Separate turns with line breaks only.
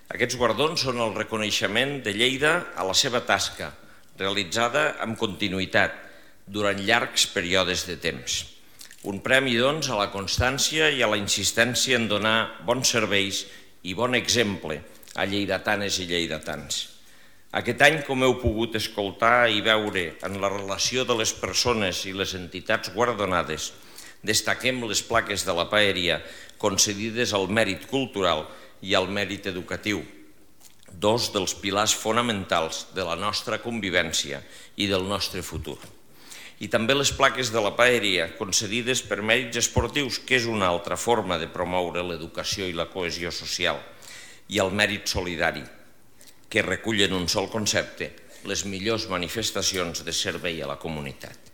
Aquests guardons són el reconeixement de Lleida a la seva tasca, realitzada amb continuïtat durant llargs períodes de temps. Un premi, doncs, a la constància i a la insistència en donar bons serveis i bon exemple a lleidatanes i lleidatans. Aquest any, com heu pogut escoltar i veure en la relació de les persones i les entitats guardonades, destaquem les plaques de la paeria concedides al mèrit cultural i al mèrit educatiu, dos dels pilars fonamentals de la nostra convivència i del nostre futur. I també les plaques de la paeria concedides per mèrits esportius, que és una altra forma de promoure l'educació i la cohesió social, i el mèrit solidari, que recullen un sol concepte, les millors manifestacions de servei a la comunitat.